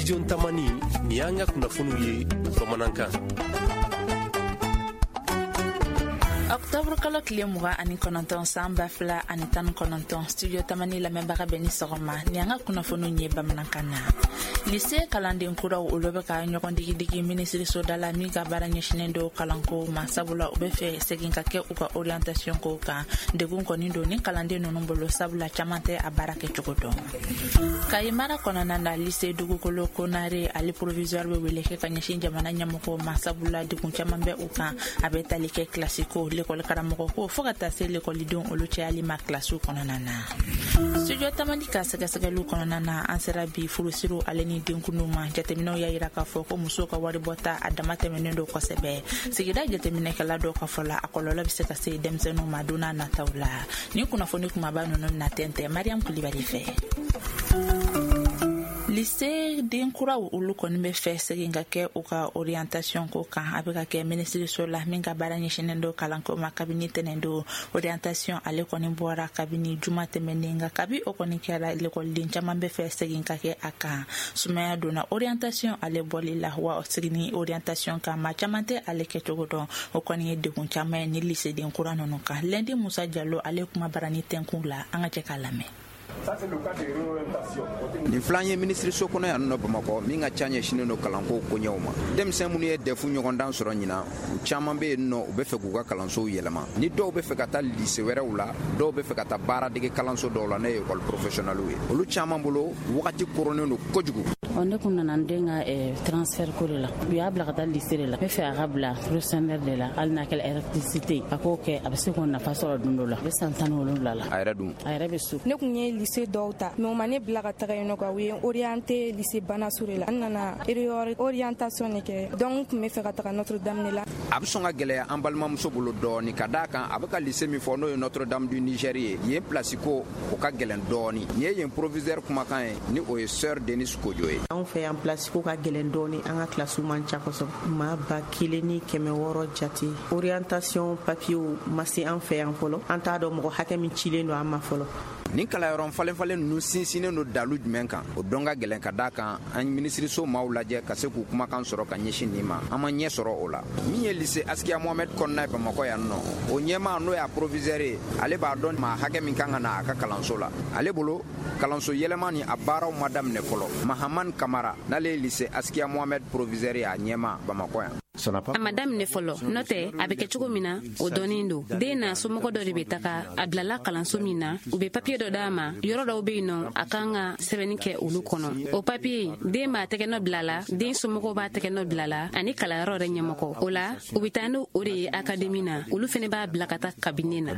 Studio Tamani, nin y'an ka kunnafoniw ye bamanankan. Octobre kalo tile 29 san 2019, Studio Tamani lamɛnbaga bɛ ni sɔgɔma. Ni an ka kunnafoniw ye bamanankan na. Lycée kalanden kuraw, olu bɛ ka ɲɔgɔn digidigi minisiriso da la min ka baara ɲɛsinnen don kalanko ma, sabula u bɛ fɛ segin ka kɛ u ka orientation ko kan. Degun kɔni don ni kalanden ninnu bolo, sabula caman tɛ a baara kɛcogo dɔn. Kayi mara kɔnɔna na, lycée Dugukolo Konare ale proviseur bɛ wele kɛ ka ɲɛsin jamana ɲɛmɔgɔw ma, sabula degun caman bɛ u kan. A bɛ tali kɛ kilasi ko, lekɔli karamɔgɔ ko, fo ka taa se lekɔlidenw olu cayali ma kilasiw kɔnɔna na. Studio Tamani ka sɛgɛsɛgɛliw kɔnɔna na, an sera bi furusiriw ale ni denkundiw ma. Jateminɛw y'a yira k'a fɔ ko musow ka waribɔta a dama tɛmɛnen don kosɛbɛ. Sigida jateminɛkɛla dɔw ka fɔ la, a kɔlɔlɔ bɛ se ka se denmisɛnninw ma don n'a nataw la. Ni kunnafoni kumaba ninnu bɛna tɛntɛn Mariam Kulibali fɛ. Lycée den kuraw, olu kɔni bɛ fɛ segin ka kɛ u ka orientation ko kan. A bɛ ka kɛ minisiriso la min ka baara ɲɛsinnen don kalanko ma kabini tɛnɛn don. Orientation ale kɔni bɔra kabini juma tɛmɛnen, nka kabi o kɔni kɛra, lekɔliden caman bɛ fɛ segin ka kɛ a kan. Sumaya donna orientation ale bɔli la wa seginni orientation kan, maa caman tɛ ale kɛcogo dɔn. O kɔni ye degun caman ye ni lycée den kura ninnu kan. Lundi Musa Jalo ale kuma barani tɛnkun la, an ka jɛ k'a lamɛn. Nin filan ye minisiriso kɔnɔ yan nɔ Bamakɔ min ka ca ɲɛsinnen don kalanko koɲɛw ma. Denmisɛn minnu ye DEF ɲɔgɔndan sɔrɔ ɲinan, u caman bɛ yen nɔ, u bɛ fɛ k'u ka kalansow yɛlɛma. Ni dɔw bɛ fɛ ka taa lycée wɛrɛw la, dɔw bɛ fɛ ka taa baaradege kalanso dɔw la, n'o ye école professionnelle ye. Olu caman bolo, wagati koronnen don kojugu. Ne kun nana n den ka transfert ko de la. U y'a bila ka taa lycée de la. N bɛ fɛ a ka bila professionnel de la, hali n'a kɛra électricité, a k'o kɛ, a bɛ se k'o nafa sɔrɔ don dɔ la. A bɛ san 17 la. A yɛrɛ dun? A yɛrɛ bɛ so. Ne kun ye lycée dɔw ta, mais u ma ne bila ka taga yen nɔ quoi. U ye orienté lycée Banasure la. N nana orientation de kɛ, donc n kun bɛ fɛ ka taga Notre Dame de la. A bɛ sɔn ka gɛlɛya an balimamuso bolo dɔɔni, ka d'a kan a bɛ ka lycée min fɔ, n'o ye Notre Dame du Niger ye, yen place ko o ka gɛlɛn dɔɔni. Nin ye yen proviseur kumakan ye, ni o ye sœur Denis Kojo ye. Anw fɛ yan, place ko ka gɛlɛn dɔɔni. An ka kilasiw man ca kosɛbɛ, maa 1600 jate. Orientation papiyew ma se an fɛ yan fɔlɔ. An t'a dɔn mɔgɔ hakɛ min cilen don an ma fɔlɔ. Nin kalanyɔrɔ falen-falen ninnu sinsinnen don dalu jumɛn kan, o dɔn ka gɛlɛn, ka d'a kan an minisiriso maaw lajɛ ka se k'u kumakan sɔrɔ ka ɲɛsin nin ma, an ma ɲɛ sɔrɔ o la. Min ye lycée Askiya Mohamed kɔnɔna ye Bamakɔ yan nɔ, o ɲɛmaa, n'o y'a proviseur ye, ale b'a dɔn maa hakɛ min kan ka na a ka kalanso la. Ale bolo, kalanso yɛlɛma ni a baaraw ma daminɛ fɔlɔ. Mahaman Kamara, n'ale ye lycée Askiya Mohamed proviseur ye, a ɲɛmaa Bamakɔ yan. A ma daminɛ fɔlɔ, n'o tɛ a bɛ kɛ cogo min na, o dɔnnen don. Den n'a somɔgɔ dɔ de bɛ taga. A bilala kalanso min na, u bɛ papiye dɔ d'a ma. Yɔrɔ dɔw bɛ yen nɔ, a kan ka sɛbɛnni kɛ olu kɔnɔ. O papiye, den b'a tɛgɛ nɔ bila la, den somɔgɔw b'a tɛgɛ nɔ bila la, ani kalanyɔrɔ yɛrɛ ɲɛmɔgɔ. O la, u bɛ taa n'o o de ye académie na. Olu fɛnɛ b'a bila ka taa cabinet na.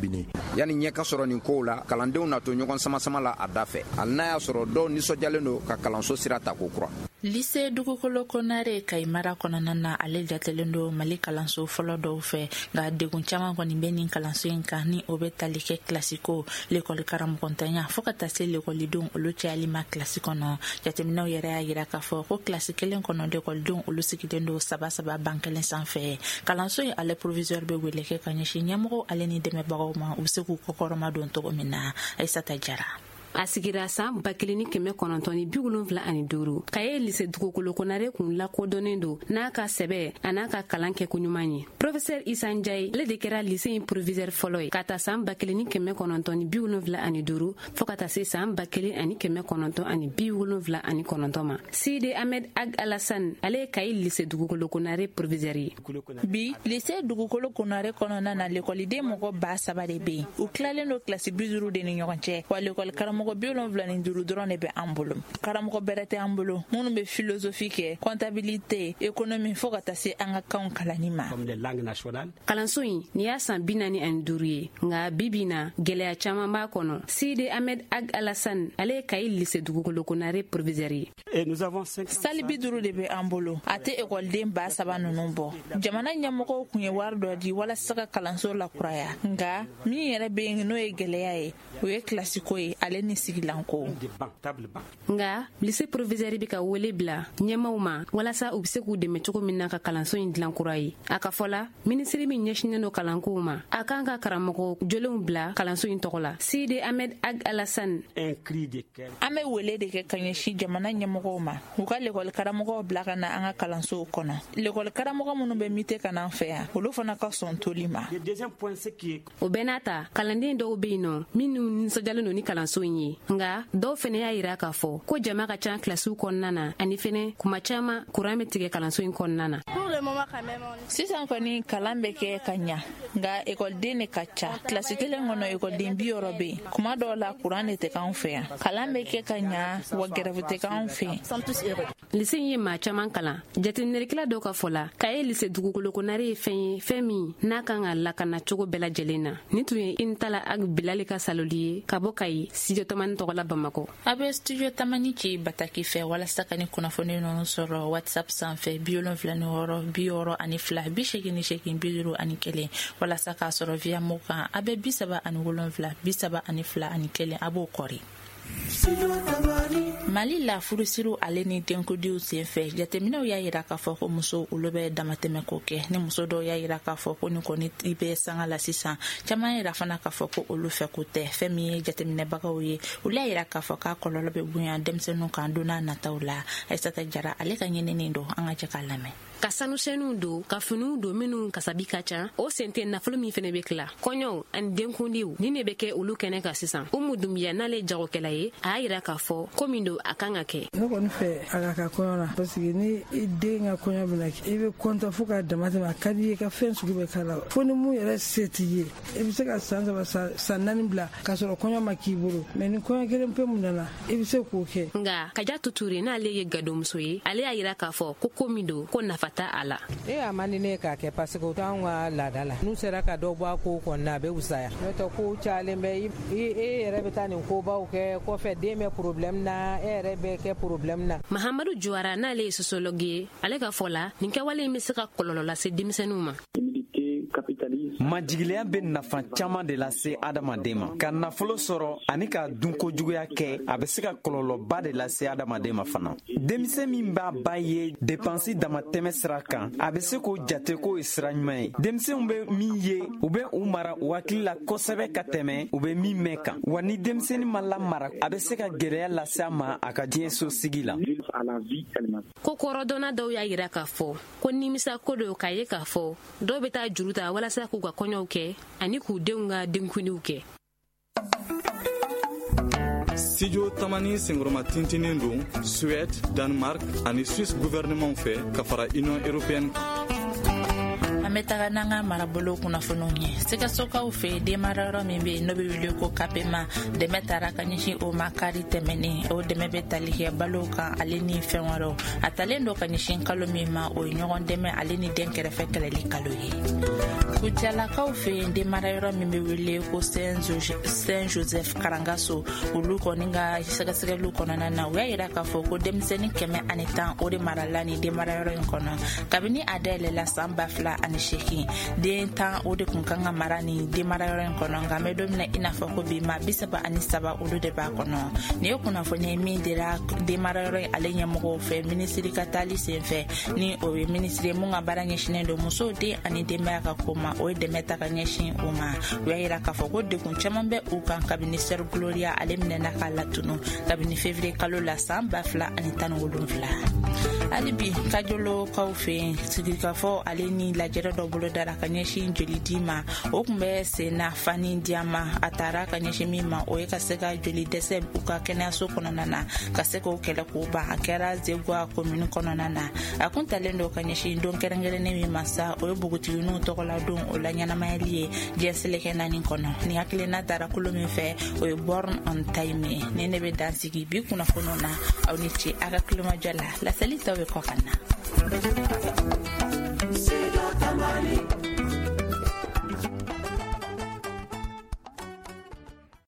Yanni ɲɛ ka sɔrɔ nin kow la, kalandenw na to ɲɔgɔn sama-sama la a da fɛ, hali n'a y'a sɔrɔ dɔw nisɔndiyalen don ka kalanso sira ta ko kura. Lycée Dugukolo Konare Kayi mara kɔnɔna na, ale jatelen don Mali kalanso fɔlɔ dɔw fɛ, nka degun caman kɔni bɛ nin kalanso in kan, ni o bɛ tali kɛ kilasi ko, lekɔli karamɔgɔntanya, fo ka taa se lekɔlidenw olu cayali ma kilasi kɔnɔ. Jateminɛw yɛrɛ y'a yira k'a fɔ ko kilasi kelen kɔnɔ, lekɔlidenw olu sigilen don saba saba ban kelen sanfɛ. Kalanso in ale proviseur bɛ wele kɛ ka ɲɛsin ɲɛmɔgɔw ale ni dɛmɛbagaw ma, u bɛ se k'u kɔkɔrɔma don cogo min na. Ayisata Jara. A sigira san 1975. Kaye lycée Dugukolo Konare kun lakodɔnnen don n'a ka sɛbɛ a n'a ka kalan kɛko ɲuman ye. Professeur Isa Njaye, ale de kɛra lycée in proviseur fɔlɔ ye, ka ta san 1975 fɔɔ ka taa se san 1979 ma. Sidi Ahmed Ag Alassane, ale ye Kayi lycée Dugukolo Konare proviseur ye. Bi, lycée Dugukolo Konare kɔnɔna na, lekɔliden mɔgɔ 3000 de bɛ yen. U tilalen don kilasi 50 de ni ɲɔgɔn cɛ wa. Lekɔli karamɔgɔ 75 dɔrɔn de bɛ an bolo. Karamɔgɔ bɛrɛ tɛ an bolo minnu bɛ philosophie kɛ, comptabilité, économie, fo ka taa se an ka kanw kalanni ma. Kalanso in nin y'a san 45 ye, nka bibi na, gwɛlɛya caaman b'a kɔnɔ. Sidi Ahmed Ag Alassane, ale ye Kayi lycée Dugukolo Konare proviseur ye. Salle 50 de bɛ an bolo, a tɛ ekɔliden 3000 ninnu bɔ. Jamana ɲɛmɔgɔw kun ye wari dɔ di walasa ka kalanso lakuraya, nka min yɛrɛ bɛ yen n'o ye gɛlɛya ye, o ye kilasiko ye ale ni sigilanko. Nka lycée proviseur bɛ ka wele bila ɲɛmaaw ma walasa u bɛ se k'u dɛmɛ cogo min na ka kalanso in dilan kura ye. A ka fɔ la, minisiri min ɲɛsinnen don kalankow ma, a kan ka karamɔgɔ jolenw bila kalanso in tɔgɔ la. Sidi Ahmed Ag Alassane. An bɛ wele de kɛ ka ɲɛsin jamana ɲɛmɔgɔw ma, u ka lekɔli karamɔgɔw bila ka na an ka kalansow kɔnɔ. Lekɔli karamɔgɔ minnu bɛ mite ka na an fɛ yan, olu fana ka sɔn toli ma. O bɛɛ n'a ta, kalanden dɔw bɛ yen nɔ minnu nisɔndiyalen don ni kalanso in ye, nka dɔw fɛnɛ y'a yira k'a fɔ ko jama ka ca kilasiw kɔnɔna na, ani fɛnɛ kuma caman kuran bɛ tigɛ kalanso in kɔnɔna na. Sisan kɔni kalan bɛ kɛ ka ɲa, nka ekɔliden de ka ca. Kilasi kelen kɔnɔ ekɔliden 60 bɛ yen. Kuma dɔw la kuran de tɛ k'anw fɛ yan. Kalan bɛ kɛ ka ɲa, wa gɛrɛfu tɛ k'anw fɛ yen. Lise in ye maa caman kalan. Jateminɛlikɛla dɔw ka fɔ la, k'a ye lise dugukolo konare ye fɛn ye, fɛn min n'a kan ka lakana cogo bɛɛ lajɛlen na. Nin tun ye Intala Ag Bilali ka saloli ye ka bɔ Kayi, Studio Tamani tɔgɔ la Bamakɔ. A bɛ Studio Tamani ci bataki fɛ walasa ka ni kunnafoni ninnu sɔrɔ WhatsApp sanfɛ 76 62 88 51, walasa k'a sɔrɔ via mo kan a bɛ 37 32 1, a b'o kɔri. Mali la, furusiriw ale ni denkudiw senfɛ, jateminɛw y'a yira k'a fɔ ko musow olu bɛ damatɛmɛko kɛ. Ni muso dɔw y'a yira k'a fɔ ko nin kɔni i bɛ sanga la sisan, caman yira fana k'a fɔ ko olu fɛ ko tɛ. Fɛn min ye jateminɛbagaw ye, olu y'a yira k'a fɔ k'a kɔlɔlɔ bɛ bonya denmisɛnninw kan don n'a nataw la. Aissata Jara ale ka ɲinini don, an ka jɛ k'a lamɛn. Ka sanusɛnniw don, ka finiw don minnu kasabi ka ca, o sen tɛ nafolo min fɛnɛ bɛ tila. Kɔɲɔw ani denkundiw nin de bɛ kɛ olu kɛnɛ kan sisan. Umu Dunbiya, n'ale jagokɛla ye, a y'a yira k'a fɔ ko min don, a kan ka kɛ. Ne kɔni fɛ a ka kɔɲɔ la, parce que ni i den ka kɔɲɔ bɛna kɛ, i bɛ kɔntɔ fo k'a dama tɛmɛ. A ka di i ye ka fɛn sugu bɛɛ k'a la, fo ni mun yɛrɛ se t'i ye, i bɛ se ka san 3 san 4 bila k'a sɔrɔ kɔɲɔ ma k'i bolo, mɛ ni kɔɲɔ kelen pe mun nana, i bɛ se k'o kɛ. Nka Kajatu Ture, n'ale ye gadomuso ye, ale y'a yira k'a fɔ ko min don, ko nafa t'a a la. E a man di ne ye k'a kɛ, parce que o t'anw ka laada la. N'u sera ka dɔ bɔ a kow kɔni na, a bɛ wusaya. N'o tɛ, kow cayalen bɛ. E yɛrɛ bɛ taa nin kobaw kɛ kɔfɛ, den bɛ problème na, e yɛrɛ bɛ kɛ problème na. Mahamadu Juwara, n'ale ye sociologue ye, ale ka fɔ la, nin kɛwale in bɛ se ka kɔlɔlɔ lase denmisɛnninw ma. Majigiliya bɛ nafa caman de lase adamaden ma. Ka nafolo sɔrɔ ani ka dunkojuguya kɛ, a bɛ se ka kɔlɔlɔba de lase adamaden ma fana. Denmisɛn min b'a ba ye depansi damatɛmɛ sira kan, a bɛ se k'o jate k'o ye sira ɲuman ye. Denmisɛnw bɛ min ye, u bɛ u mara u hakili la kosɛbɛ ka tɛmɛ u bɛ min mɛn kan. Wa ni denmisɛnnin ma lamara, a bɛ se ka gɛlɛya lase a ma a ka diɲɛso sigi la. Ko kɔrɔdɔnna dɔw y'a yira k'a fɔ ko nimisa ko don k'a ye k'a fɔ dɔw bɛ taa juru ta walasa k'u ka kɔɲɔw kɛ ani k'u denw ka denkundiw kɛ. Studio Tamani senkɔrɔma tintinen don Suède, Danemark ani Suisse gouvernement fɛ ka fara Union européenne kan. An bɛ taga n'an ka marabolo kunnafoniw ye. Sikasokaw fɛ, denmarayɔrɔ min bɛ yen n'o bɛ wele ko Kapema, dɛmɛ taara ka ɲɛsin o ma kari tɛmɛnen. O dɛmɛ bɛ tali kɛ balo kan ale ni fɛn wɛrɛw. A talen don ka ɲɛsin kalo min ma, o ye ɲɔgɔn dɛmɛ ale ni den kɛrɛfɛ kɛlɛli kalo ye. Kucalakaw fɛ yen, denmarayɔrɔ min bɛ wele ko Saint Joseph Karangaso, olu kɔni ka sɛgɛsɛgɛliw kɔnɔna na, u y'a yira k'a fɔ ko denmisɛnnin 110 o de marala ni denmarayɔrɔ in kɔnɔ kabini a dayɛlɛla san 2008. Den 10 o de kun kan ka mara ni denmarayɔrɔ in kɔnɔ, nka an bɛ don min na i n'a fɔ ko bi, ma 33 olu de b'a kɔnɔ. Nin ye kunnafoni ye min dira denmarayɔrɔ in ale ɲɛmɔgɔw fɛ minisiri ka taali senfɛ, ni o ye minisiri ye mun ka baara ɲɛsinnen don musow, den ani denbaya ka ko ma. O ye dɛmɛ ta ka ɲɛsin o ma. U y'a yira k'a fɔ ko degun caman bɛ u kan kabini Sœur Gloria ale minɛna k'a latunu kabini février kalo la san 2017. Hali bi Kajolokaw fɛ yen, sigikafɔ ale ni lajɛrɛ dɔ bolo dara ka ɲɛsin jolidi ma. O tun bɛ sen na Fani Diyama. A taara ka ɲɛsin min ma, o ye ka se ka joli dɛsɛ u ka kɛnɛyaso kɔnɔna na, ka se k'o kɛlɛ k'o ban. A kɛra Zegwa komini kɔnɔna na. A kun talen don ka ɲɛsin don kɛrɛnkɛrɛnnen min ma sa, o ye npogotigininw tɔgɔla don o la ɲɛnamayali ye diɲɛ seleke 4 kɔnɔ. Ni hakilina taara kolo min fɛ, o ye Born on Time ye. Ni ne bɛ dan sigi bi kunnafoniw na. Aw ni ce a ka tulomajɔ la. Laseli tɔ bɛ kɔ ka na.